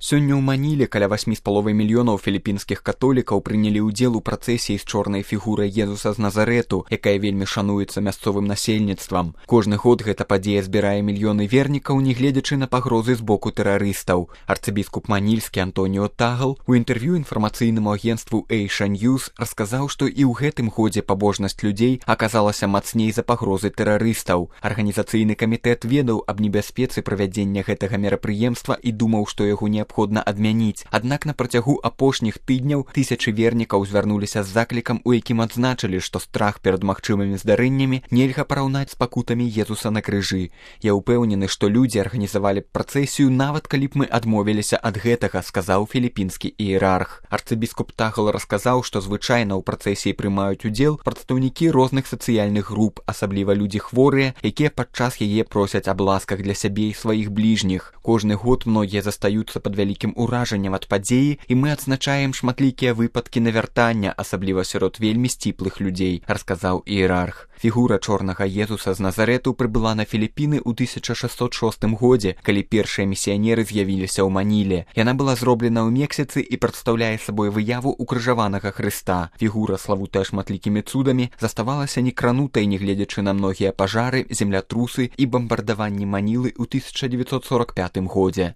Сёння ў Маніле каля 8,5 мільёнаў філіпінскіх католікаў прынялі ўдзел у працэсіі з чорнай фігурай Езуса з Назарету, якая вельмі шануецца мясцовым насельніцтвам. Кожны год гэта падзея збірае мільёны вернікаў, нягледзячы на пагрозы з боку тэрарыстаў. Арцыбіскуп манільскі Антоніо Тагал у інтэрв'ю інфармацыйнаму агенцтву Asia News расказаў, што і ў гэтым годзе пабожнасць людзей аказалася мацней за пагрозы тэрарыстаў. Арганізацыйны камітэт ведаў аб небяспецы правядзення гэтага мерапрыемства і думаў, што яго неабходна адмяніць. Аднак на працягу апошніх тыдняў тысячы вернікаў звярнуліся з заклікам, у якім адзначылі, што страх перад магчымымі здарэннямі нельга параўнаць з пакутамі Езуса на крыжы. Я ўпэўнены, што людзі арганізавалі працэсію, нават калі б мы адмовіліся ад гэтага, сказаў філіпінскі іерарх. Арцыбіскуп Тагал расказаў, што звычайна ў працэсіі прымаюць удзел прадстаўнікі розных сацыяльных груп, асабліва людзі хворыя, якія падчас яе просяць аб ласках для сябе і сваіх бліжніх. Кожны год многія застаюцца пад вялікім уражаннем ад падзеі, і мы адзначаем шматлікія выпадкі навяртання, асабліва сярод вельмі сціплых людзей, расказаў іерарх. Фігура чорнага Езуса з Назарету прыбыла на Філіпіны ў 1606 годзе, калі першыя місіянеры з'явіліся ў Маніле. Яна была зроблена ў Мексіцы і прадстаўляе сабой выяву укрыжаванага Хрыста. Фігура, славутая шматлікімі цудамі, заставалася некранутай, нягледзячы на многія пажары, землятрусы і бамбардаванні Манілы ў 1945 годзе.